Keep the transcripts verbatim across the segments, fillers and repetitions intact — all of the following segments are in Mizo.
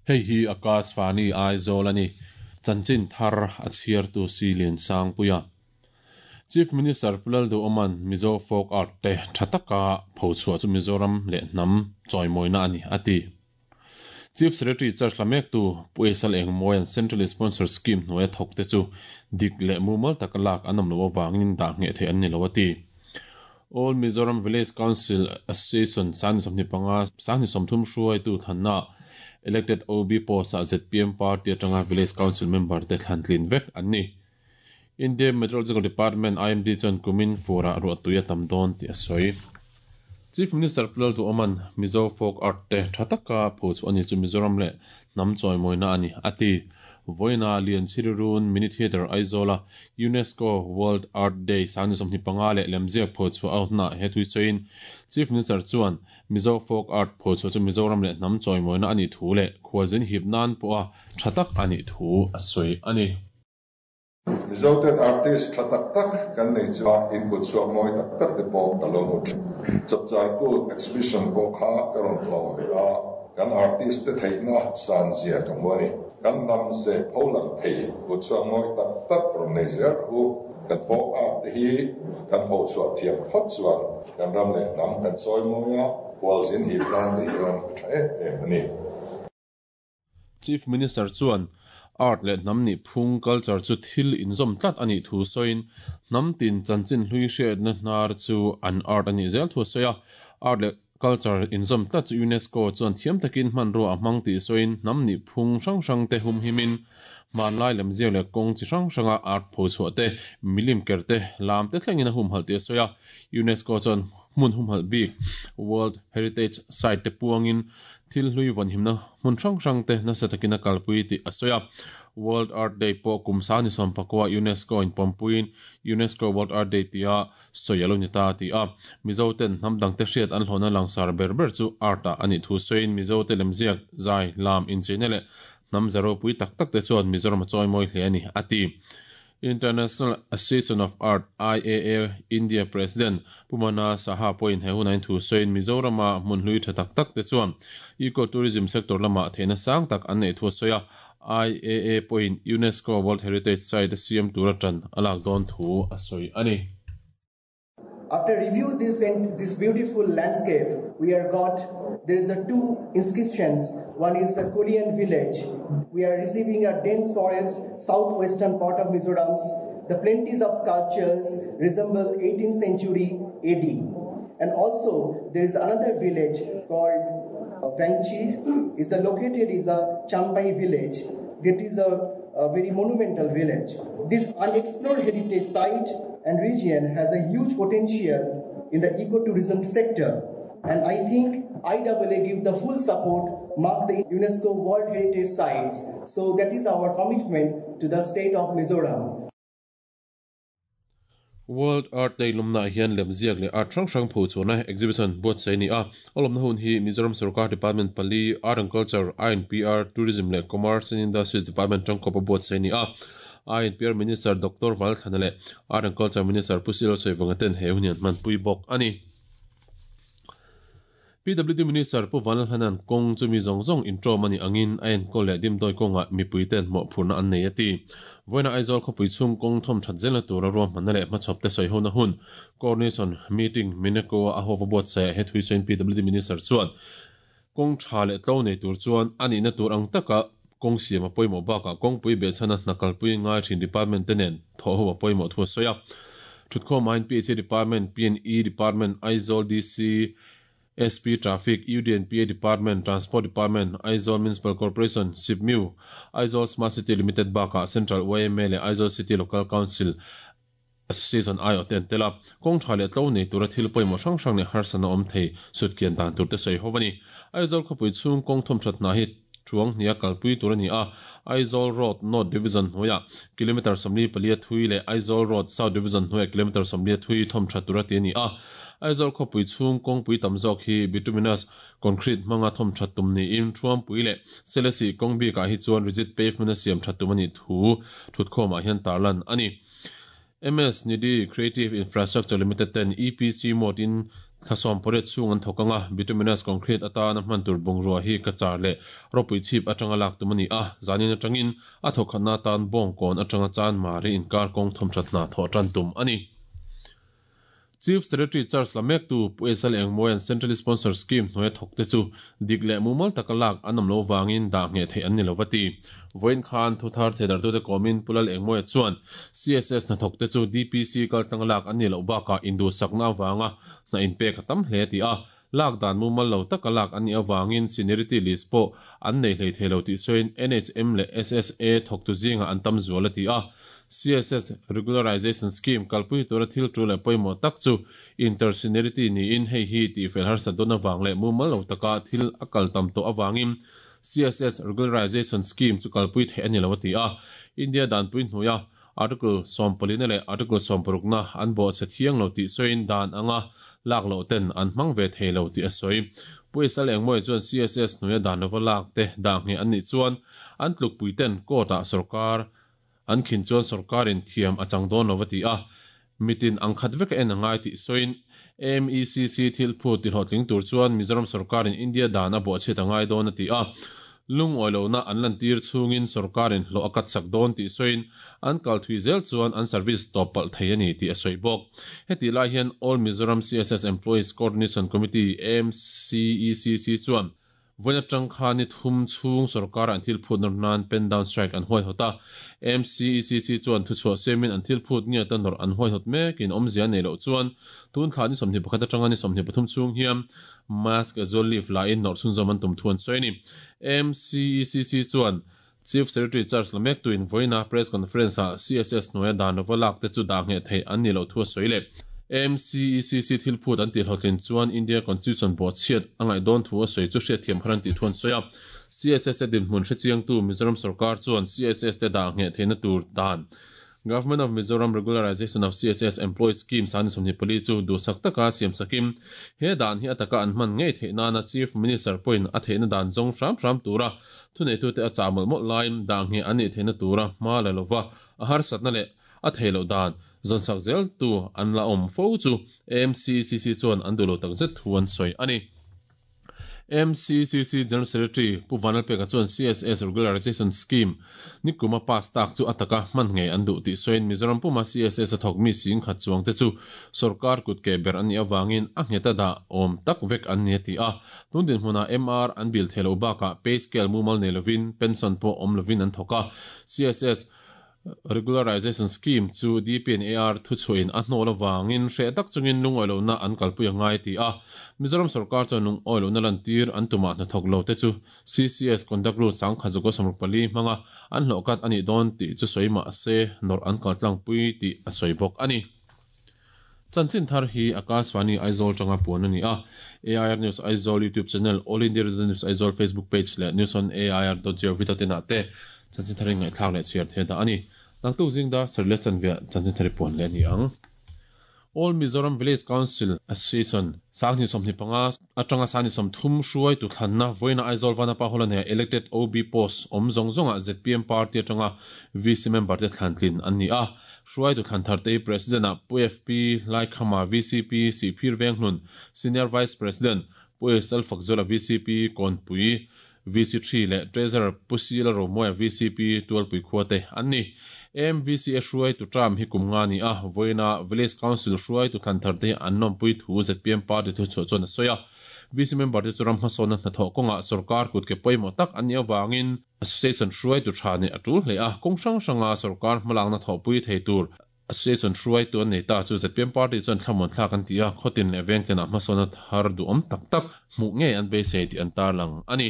Hei hi Akashvani Aizawl ani. Chanchin thar a chhiartu si Lian Sangpuia. Chief Minister Pu Lalduhoma'n Mizo Folk Art te tha taka phochhuah chu Mizoram leh hnam chawimawina a ni, a ti. Chief Secretary charge la mektu Pu Esal Engmawia'n Central Sponsored Scheme hnuaia thawk te chu dik leh mumal taka lak an awm loh avangin dah ngheh theih an ni lo, a ti. All Mizoram Village Council Association sangni sawmhnih panga sangni sawmthum hruaitu thlanna elected O B post ah Z P M party atanga Village Council member te thlan tlin vek an ni. India Meteorological Department I M D chuan kumin furah ruahtui a tam dawn tih a sawi. Chief Minister Pu Lalduhoma'n Mizo Folk Art te tha taka phochhuah a ni chu Mizoram leh hnam chawimawina a ni, a ti. Vawiina Lianchhirirun Mini Theatre Aizawla UNESCO World Art Day sangni sawmhnih panga leh lemziak phochhuah a hunah he thui sawiin Chief Minister chuan Mizo Folk Art phochhuah chu Mizoram leh hnam chawimawina a nih thu leh khualzin hip nan pawha tha tak a nih thu a sawi a ni. Mizo ten artist tha tak tak kan nei chu in kut chhuak mawi tak tak te pawh ka lo hmu thin. Chapchar kut exhibition pawh kha ka rawn tlawh ve a, kan artist te theihna san zia ka hmu a ni. Kan nam ze pholang thei kut chhuak mawi tak tak rawn nei zel rawh u. Kan folk art te hi kan phochhuah thiam phawt chuan kan ram leh hnam kan chawi mawi a, khualzin hip nan te hian a tha em em a ni. Chief Minister chuan art leh hnam nih phung culture chu thil inzawm tlat a nih thu sawiin hnam tin chanchin hlui hriatna hnar chu an art a nih zel thu a sawi a. Art leh culture inzawm tlat chu UNESCO chuan thiam takin hmanrua a hmang tih sawiin hnam nih phung hrang hrang te hum himin hmanlai lemziak leh kawng chi hrang hranga art phochhuah te milim ker te lam te thlengin a hum halh tih a sawi a. UNESCO chuan hmun hum halh bik World Heritage Site te puangin thil hlui vawn himna hmun hrang hrang te nasa takin a kalpui tih a sawi a. World Art Day pawh kum sangni sawm pakua UNESCO in pawmpuiin UNESCO World Art Day tia sawi a lo ni ta ti a. Mizo ten hnam dang te hriat an hlawhna langsar ber ber chu art ah a nih thu sawiin Mizo te lemziak zai lam incheina leh hnam zero pui tak tak te chuan Mizoram a chawimawi hle a ni, a ti. International Association of Art I A A India President Pumana Saha pawhin he hunain thu sawiin Mizorama hmun hlui tha tak tak te chuan ecotourism sector lama theihna sang tak an nei thu a sawi a. I A A pawhin UNESCO World Heritage Site a siam tur atan a lak dawn thu a sawi a ni. After review this, this beautiful landscape, we are got, there is a two inscriptions. One is the Korean village. We are receiving a dense forest, southwestern part of Mizoram. The plenties of sculptures resemble eighteenth century A D. And also there is another village called Vangchi. It's a located is a Champai village. That is a, a very monumental village. This unexplored heritage site and region has a huge potential in the ecotourism sector. And I think I A A give the full support, mark the UNESCO World Heritage Sites. So that is our commitment to the state of Mizoram. World Art Day lumna hian lemziak leh art hrang hrang phochhuahna exhibition buatsaih a ni a. A lawmna hun hi Mizoram Sarkar Department pali Art and Culture, I N P R, Tourism leh Commerce and Industries Department tangkawp a buatsaih a ni a. I N P R Minister Doctor Valthana leh Art and Culture Minister Pu Silo Soivanga ten he hun hian hmanpui bawk a ni. P W D Minister Pu Vanlalhlanan kawng chu mi zawng zawng intawm a ni angin a enkawl leh dimdawi kawngah mipui ten mawhphurhna an nei a ti. Vawiina Aizawl khawpui chhung kawng thawm that zelna tura ruahmanna leh hmachhawp te sawi hona hun coordination meeting Mineko a hova buatsaih he thui sawiin P W D Minister chuan kawng tha leh tlo nei tur chuan a nihna tur ang taka kawng siam a pawimawh bakah kawngpui behchhana hna kalpui ngai thin department te nen thawh ho a pawimawh thu a sawi a. Thutkhawm I N P H A Department, P N E Department, Aizawl D C, S P Traffic, U D N P A Department, Transport Department, Aizawl Municipal Corporation, S I P M U, Aizawl Smart City Limited bakah Central Y M A leh Aizawl City Local Council Association I O te an tel a. Kawng tha leh tlo nei tura thil pawimawh hrang hrang leh harsana awm thei sutkian dan tur te sawi ho a ni. Aizawl khawpui chhung kawng thawm that hna hi thuang hnia kalpui tur a ni a. Aizawl Road North Division hnuaiah kilometer sawmli palia thui leh Aizawl Road South Division hnuaiah kilometer sawmli thui thawm that tur a ti a ni a. Aizawl khawpui chhung kawngpui tam zawk hi bituminous concrete hmanga thawm that tum niin thuampui leh Selesih kawng bikah hi chuan rigid pavement a siam that tum a nih thu thutkhawmah hian tarlan a ni. M S Nidhi Creative Infrastructure Limited ten E P C mode in thlasom pariat chung an thokanga bituminous concrete atana hman tur bungrua hi Cachar leh Rawpuichhip atanga lak tum ani a. Zanin atangin a thawkhatna tan Bawngkawn atanga Chanmari inkar kawng thawmthatna thawh tan tum ani. Chief Secretary charge la mek tu Pu S L Engmawia'n Central Sponsor Scheme hnuaia thawk te chu dik leh mumal taka lak an awm lo vangin dah ngheh theih an ni lo va ti. Vawiin khan thuthar theidartute kawmin Pu Lal Engmawia chuan C S S hnathawk te chu D P C kaltlang lak an ni loh bakah induhsakna avanga hna inpek a tam hle ti a. Lak dan mumal lo taka lak an nih avangin seniority list pawh an nei hlei thei lo tih sawiin N H M leh S S A thawktu zingah an tam zual a ti a. C S S Regularization Scheme kalpui tura thil tul leh pawimawh tak chu inter-seniority niin hei hi tih fel harsat dawn avang leh mumal lo taka thil a kal tam tawh avangin C S S Regularization Scheme chu kalpui theih a ni lo a ti a. India danpui hnuaia Article sawmpalina leh Article sawmparukna an bawhchhe thiang lo tih sawiin dan anga lak loh ten an hmang ve thei lo tih a sawi. Pu S L Engmawia chuan C S S hnuaia dan lova lak te dah ngheh an nih chuan an tlukpui ten court-ah sarkar an khin chuan sarkarin thiam a chang dawn lo va ti a. Mitin ang khat vek a en a ngai tih sawiin M E C C thil phut tihlawhtling tur chuan Mizoram sarkarin India dan a bawhchhiat a ngai dawn a ti a. Lungawi lohna an lantir chungin sarkarin hlawh a kat sak dawn tih sawiin an kal thui zel chuan an service tawp palh thei a ni tih a sawi bawk. Heti lai hian All Mizoram C S S Employees Coordination Committee M C E C C chuan vawiin atang khan ni thum chhung sarkar an thil phut nawr nan pen down strike an huaihawt a. M C E C C chuan thuchhuah siamin an thil phut nge ta nawr an huaihawt mekin awmzia nei loh chuan tun thla ni sawmhnih pakhat atanga ni sawmhnih pathum chhung hian mass casual leave la in nawr chhunzawm an tum thu an sawi a ni. M C E C C chuan Chief Secretary charge la mek tuin vawiina press conference ah C S S hnuaia dan lova lak te chu dah ngheh theih an ni loh thu a sawi leh M C E C C thil phut an tihlawhtlin chuan India Constitution bawhchhiat a ngaih dawn thu a sawi chu hriatthiam khan an tih thu an sawi a. C S S te dinhmun hrechiangtu Mizoram sarkar chuan C S S te dah ngheh theihna tur dan Government of Mizoram Regularization of C S S Employee Scheme sangni sawmhnih pali chu duhsak taka siam sakin he dan hi ataka an hman ngei theih nana Chief Minister pawhin a theihna dan zawng hram hram tura thuneitute a chah mawlh mawlh laiin dah ngheh an nih theihna tura hma la lova a harsatna leh a thei loh dan zawnsak zel tu an la awm fo chu M C C C chuan an duh lo takzet thu an sawi a ni. M C C C General Secretary Pu Vanlalpeka chuan C S S Regularization Scheme nikuma pass tak chu ataka hman ngei an duh tih sawiin Mizoram puma C S S a thawk mi sing khat chuang te chu sarkar kut ke ber an nih awangin a ngheta dah awm tak vek an ni a ti a. Tun din hmunah M R an bil thei lo bakah pay scale mumal nei lovin pension pawh awm lovin an thawk a. C S S Regularization Scheme chu D P and A R thuchhuahin a hnawl awangin hreh tak chungin lungawi lohna an kalpui a ngai ti a. Mizoram sarkar chuan lungawi lohna lantir an tumah hnathawk lo te chu C C S Conduct Rule sangkhat zakua sawmruk pali hmanga an hlawh kat a nih dawn tih chu sawi mah se nawrh an kaltlangpui tih a sawi bawk a ni. Chanchin thar hi Akashvani Aizawl tanga puan a ni a. A I R News Aizawl YouTube channel, All India Radio News Aizawl Facebook page leh news on A I R dot gov dot in ah te chanchin thar in ngaihthlak leh chhiar thei dah a ni. Naktuk zingda sarle chanvia chanchin thari puan leh ni ang. All Mizoram Village Council Association sangni sawmhnih panga atanga sangni sawmthum hruai tu thlanna vawiina Aizawl Vanapa Hall ania elected O B post awm zawng zawnga Z P M party atanga V C member te thlantlin an ni a. Hruai tu thlan thar te President ah Pu F P Laikhama V C P Sihphir Venghlun, Senior Vice President Pu S L Fakzola V C P Kawnpui V C three leh Treasurer Pu Sila Romoya V C P Tualpui khuate an ni. M V C A hruai tu term hi kum nga ni a. Vawiina Village Council hruai tu thlan thar te an nawmpui thu Z P M party thu chhuah chuan a sawi a. V C member te chu ram hmasawnna hnathawh kawngah sarkar kut ke pawimawh tak an nih awangin association hruai tu tha nih a tul hle a. Kawng hrang hranga sarkar hmalakna thawhpui thei tur association hruai tu an nei ta chu Z P M party chuan thlamuan thlak an ti a. Khawtin leh vengtenah hmasawnna thar duhawm tak tak hmuh ngei an beisei tih an tarlang a ni.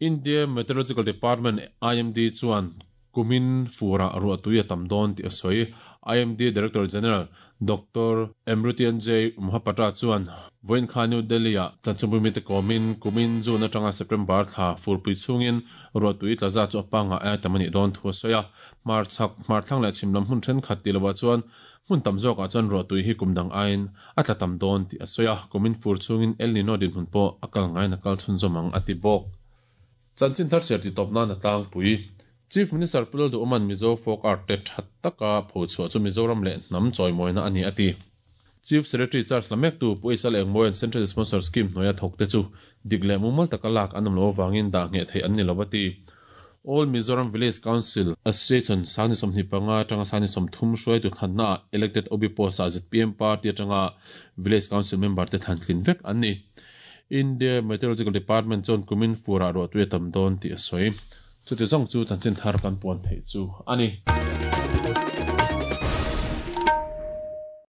India Meteorological Department I M D chuan kumin fura ruah tui a tam dawn tih a sawi. I M D Director General Doctor Mrutyunjay Mohapatra chuan vawiin khan New Delhi ah chanchinpui mi te kawmin kumin June atanga September thla furpui chhungin ruah tui tla za chu a panga a tam a nih dawn thu a sawi a. Hmar chhak, hmar thlang leh chhim lam hmun thenkhat tih lovah chuan hmun tam zawkah chuan ruah tui hi kum dang aiin a tla tam dawn tih a sawi a. Kumin fur chhungin El Nino dinhmun pawh a kal ngaiin a kal chhunzawm ang a ti bawk. Chanchin thar chhiar ti tawp nan a tlangpui. Chief Minister Pu Lalduhoma'n Mizo folk art te tha taka phochhuah chu Mizoram leh hnam chawimawina a ni a ti. Chief Secretary charge la mektu Pu H Lalengmawia'n Central Sponsor Scheme hnuaia thawk te chu dik leh mumal taka lak an awm lo avangin dah ngheh theih an ni lo a ti. All Mizoram Village Council Association sangni sawmhnih panga atanga sangni sawmthum hruaitu thlanna ah elected O B post ah Z P M party atanga Village Council member te thlan tlin vek an ni. India Meteorological Department chuan kumin furah ruah tui a tam dawn tih a sawi. Chuti zawng chu chanchin thar kan puan theih chu a ni.